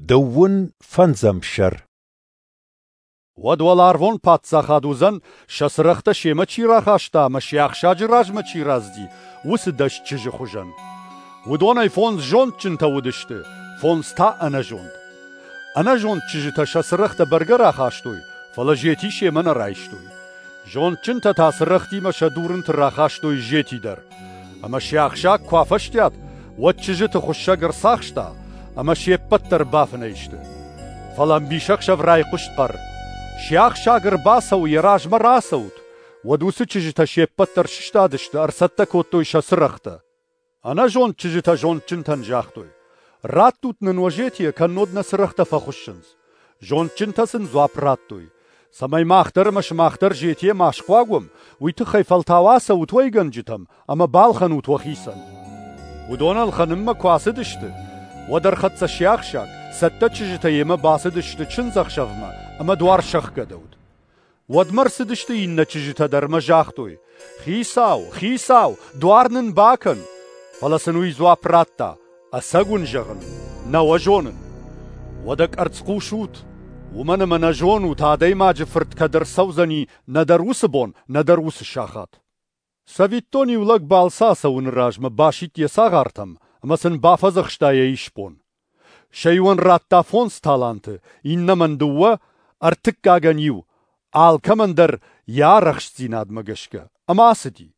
Дыууын фӕндзӕм сӕр. Уӕд уӕларвон паддзахад уыдзӕн, сӕ цырӕгътӕ семӕ чи рахаста ӕмӕ сиахсаджы размӕ чи рацыди, уыцы 10 чызджы хуызӕн. Уыдонӕй 5 зондджынтӕ уыдысты, 5 та ӕнӕзонд. Ӕнӕзонд чызджытӕ сӕ цырӕгътӕ бӕргӕ рахастой, фӕлӕ зети семӕ нӕ райстой. Зондджынтӕ та цырӕгътимӕ сӕ дурынты рахастой зети дӕр. Ӕмӕ сиахсаг куы афӕстиат, уӕд чызджыты хуыссӕг ӕрцахста, ӕмӕ се ппӕт дӕр бафынӕй сты. Фӕлӕ ӕмбисӕхсӕв райхъуыст хъӕр: «Сиахсаг ӕрбацӕуы, йӕ размӕ рацӕут!» Уӕд уыцы чызджытӕ се ппӕт дӕр сыстадысты, ӕрцӕттӕ кодтой сӕ цырӕгътӕ. Ӕнӕзонд чызджытӕ зондджынтӕн загътой: «Раттут нын уӕ зетийӕ, кӕннод нӕ цырӕгътӕ фӕхуыссынц». Зондджынтӕ сын дзуапп радтой: «Цӕмӕй мах дӕр ӕмӕ сымах дӕр зетийӕ ма схъуаг уӕм, уый тыххӕй фӕлтау ацӕут уӕйгӕнджытӕм ӕмӕ балхӕнут уӕхицӕн». Уыдон ӕлхӕнынмӕ куы ацыдысты, уӕд ӕрхӕццӕ сиахсаг, цӕттӕ чызджытӕ йемӕ бацыдысты чындзӕхсӕвмӕ ӕмӕ дуар сӕхгӕдӕуыд. Уӕдмӕ ӕрцыдысты иннӕ чызджытӕ дӕр ӕмӕ загътой: «Хицау, хицау, дуар нын бакӕн!» Фӕлӕ сын уый дзуапп радта: «Ӕцӕг уын зӕгъын, нӕ уӕ зонын. Уӕдӕ къӕрцхъус ут, уымӕн ӕмӕ нӕ зонут, Адӕймаджы Фырт кӕд ӕрцӕудзӕни нӕдӕр уыцы бон, нӕдӕр уыцы сахат». Цӕвиттон, иу лӕг балцы ацӕуыны размӕ басидт йӕ цагъартӕм ӕмӕ сын бафӕдзӕхста йӕ исбон. Сӕ иуӕн радта 5 таланты, иннӕмӕн 2, ӕртыккагӕн 1, алкӕмӕн дӕр йӕ арӕхстдзинадмӕ гӕсгӕ, ӕмӕ ацыди.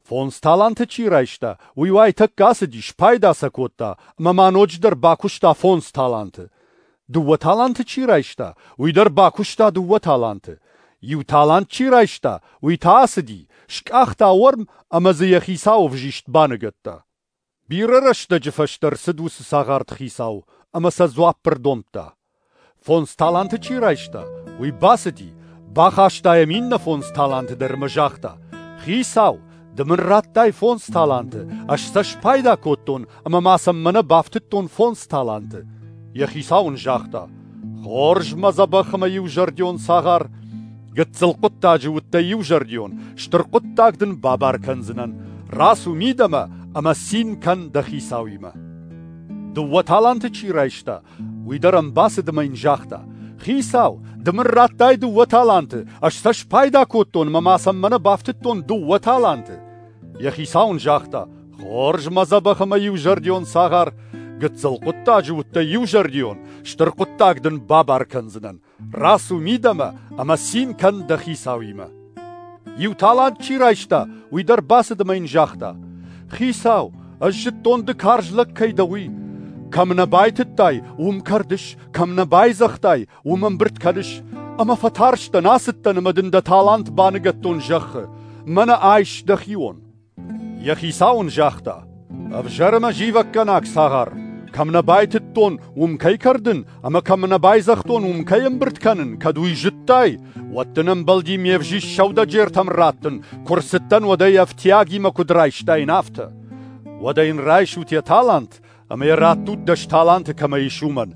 5 таланты чи райста, уый уайтӕккӕ ацыди, спайда сӕ кодта ӕмӕ ма ноджыдӕр бакуыста 5 таланты. 2 таланты чи райста, уый дӕр бакуыста 2 таланты. 1 талант чи райста, уый та ацыди, скъахта уӕрм ӕмӕ дзы йӕ хицауы ӕвзист баныгӕдта. Бирӕ рӕстӕджы фӕстӕ ӕрцыд уыцы цагъарты хицау ӕмӕ сӕ дзуапп ӕрдомдта. 5 таланты чи райста, уый бацыди, бахаста йӕм иннӕ 5 таланты дӕр ӕмӕ загъта: «Хицау, ды мын радтай 5 таланты, ӕз сӕ спайда кодтон ӕмӕ ма сӕм мӕнӕ бафтыдтон 5 таланты». Йӕ хицау ын загъта: «Хорз, мӕ дзӕбӕх ӕмӕ иузӕрдион цагъар, гыццыл хъуыддаджы уыдтӕ иузӕрдион, стыр хъуыддаг дын бабар кӕндзынӕн. Рацу мидӕмӕ ӕмӕ цин кӕн дӕ хицауимӕ». 2 таланты чи райста, уый дӕр ӕм бацыд ӕмӕ йын загъта: «Хицау, ды мын радтай 2 таланты, ӕз сӕ спайда кодтон ӕмӕ ма сӕм мӕнӕ бафтыдтон 2 таланты». Йӕ хицау ын загъта: «Хорз, мӕ дзӕбӕх ӕмӕ иузӕрдион цагъар, гыццыл хъуыддаджы уыдтӕ иузӕрдион, стыр хъуыддаг дын бабар кӕндзынӕн. Рацу мидӕмӕ ӕмӕ цин кӕн дӕ хицауимӕ». 1 талант чи райста, уый дӕр бацыд ӕмӕ йын загъта: «Хицау, ӕз зыдтон, ды карз лӕг кӕй дӕ, уый. Кӕм нӕ байтыдтай, уым кӕрдыс, кӕм нӕ байзӕгътай, уым ӕмбырд кӕныс. Ӕмӕ фӕтарстӕн, ацыдтӕн ӕмӕ дын дӕ талант баныгӕдтон зӕххы. Мӕнӕ айс дӕхион». Йӕ хицау ын загъта: «Ӕвзӕр ӕмӕ зивӕггӕнаг цагъар, кӕм нӕ байтыдтон, уым кӕй кӕрдын, ӕмӕ кӕм нӕ байзӕгътон, уым кӕй ӕмбырд кӕнын, кӕд уый зыдтай, уӕд дын ӕмбӕлди ме взист сӕудӕджертӕм раттын, куы рцыдтӕн, уӕд ӕй ӕфтиагимӕ куыд райстаин, афтӕ. Уӕдӕ йын райсут йӕ талант ӕмӕ йӕ раттут 10 таланты кӕмӕ ис, уымӕн.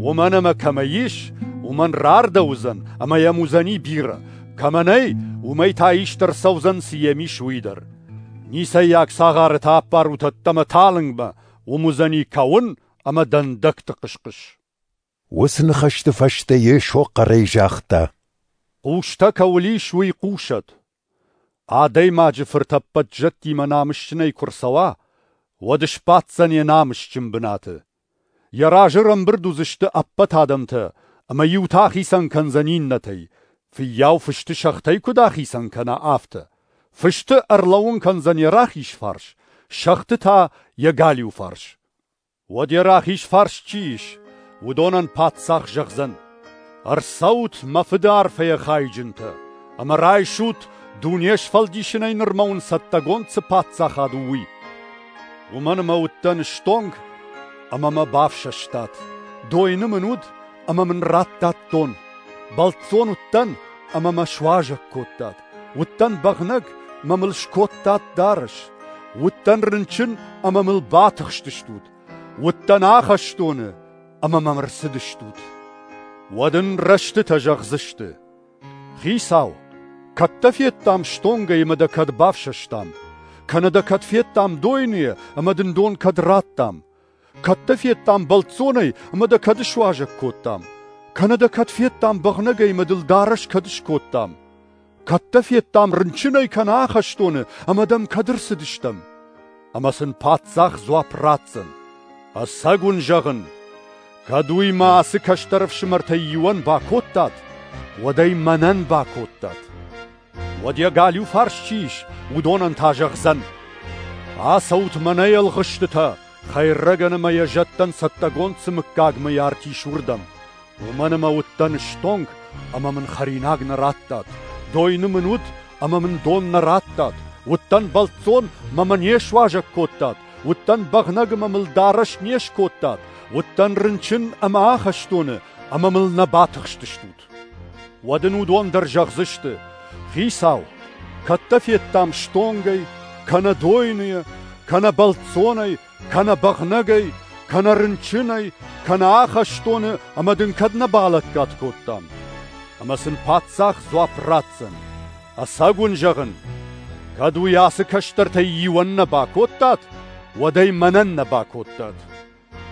Уымӕн ӕмӕ кӕмӕ ис, уымӕн рардӕуыдзӕн ӕмӕ йӕм уыдзӕни бирӕ. Кӕмӕ нӕй, уымӕй та ист ӕрцӕудзӕн, цы йӕм ис, уый дӕр. Ницӕййаг цагъары та аппарут ӕддӕмӕ талынгмӕ, уым уыдзӕни кӕуын ӕмӕ дӕндӕгты хъыс-хъыс». Уыцы ныхӕсты фӕстӕ Йесо хъӕрӕй загъта: «Хъустӕ кӕуыл ис, уый хъусӕд. Адӕймаджы Фырт ӕппӕт зӕдтимӕ намысджынӕй куы рцӕуа, уӕд сбаддзӕн йӕ намысджын бынаты. Йӕ разы ӕрӕмбырд уыдзысты ӕппӕт адӕмтӕ, ӕмӕ иутӕ ахицӕн кӕндзӕн иннӕтӕй, фыййау фысты сӕгътӕй куыд ахицӕн кӕна, афтӕ. Фысты ӕрлӕууын кӕндзӕн йӕ рахиз фарс, сӕгъты та йӕ галиу фарс. Уӕд йӕ рахиз фарс чи ис, уыдонӕн паддзах зӕгъдзӕн: «Ӕрцӕут, мӕ фыды арфӕйӕ хайджынтӕ, ӕмӕ райсут, дуне сфӕлдисынӕй нырмӕ уын цӕттӕгонд цы паддзахад у, уый. Уымӕн ӕмӕ уыдтӕн стонг, ӕмӕ мӕ бафсӕстат, дойны мын уыд, ӕмӕ мын радтат дон, бӕлццон уыдтӕн, ӕмӕ мӕ суазӕг кодтат, уыдтӕн бӕгънӕг, ӕмӕ мыл скодтат дарӕс, уыдтӕн рынчын, ӕмӕ мыл батыхстыстут, уыдтӕн ахӕстоны, ӕмӕ мӕм ӕрцыдыстут». Уӕд ын рӕстытӕ зӕгъдзысты: «Хицау, кӕд дӕ федтам стонгӕй ӕмӕ дӕ кӕд бафсӕстам, кӕнӕ дӕ кӕд федтам дойныйӕ ӕмӕ дын дон кӕд радтам? Кӕд дӕ федтам бӕлццонӕй ӕмӕ дӕ кӕд суазӕг кодтам? Кӕнӕ дӕ кӕд федтам бӕгънӕгӕй ӕмӕ дыл дарӕс кӕд скодтам? Кӕд дӕ федтам рынчынӕй кӕнӕ ахӕстоны ӕмӕ дӕм кӕд ӕрцыдыстӕм? Ӕмӕ сын паддзах дзуапп ратдзӕн: Ӕцӕг уын зӕгъын, кӕд уый мӕ ацы кӕстӕр ӕфсымӕртӕй иуӕн бакодтат, уӕд ӕй мӕнӕн бакодтат. Уӕд йӕ галиу фарс чи ис, уыдонӕн та зӕгъдзӕн: Ацӕут мӕнӕй, ӕлгъыстытӕ, хӕйрӕгӕн ӕмӕ йӕ зӕдтӕн цӕттӕгонд цы мыггагмӕ арт ис, уырдӕм. Уымӕн ӕмӕ уыдтӕн стонг, ӕмӕ мын хӕринаг нӕ радтат, дойны мын уыд, ӕмӕ мын дон нӕ радтат, уыдтӕн бӕлццон, ӕмӕ мӕ не суазӕг кодтат, уыдтӕн бӕгънӕг ӕмӕ мыл дарӕс не скодтат, уыдтӕн рынчын ӕмӕ ахӕстоны, ӕмӕ мыл нӕ батыхстыстут. Уӕд ын уыдон дӕр зӕгъдзысты: Хицау, кӕд дӕ федтам стонгӕй, кӕнӕ дойныйӕ, кӕнӕ бӕлццонӕй, кӕнӕ бӕгънӕгӕй, кӕнӕ рынчынӕй, кӕнӕ ахӕстоны, ӕмӕ дын кӕд нӕ балӕггад кодтам? Ӕмӕ сын паддзах дзуапп ратдзӕн: Ӕцӕг уын зӕгъын, кӕд уый ацы кӕстӕртӕй иуӕн нӕ бакодтат, уӕд ӕй мӕнӕн нӕ бакодтат.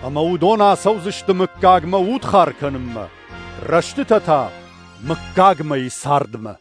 Ӕмӕ уыдон ацӕудзысты мыггагмӕ удхар кӕнынмӕ, рӕстытӕ та мыггагмӕйы цардмӕ.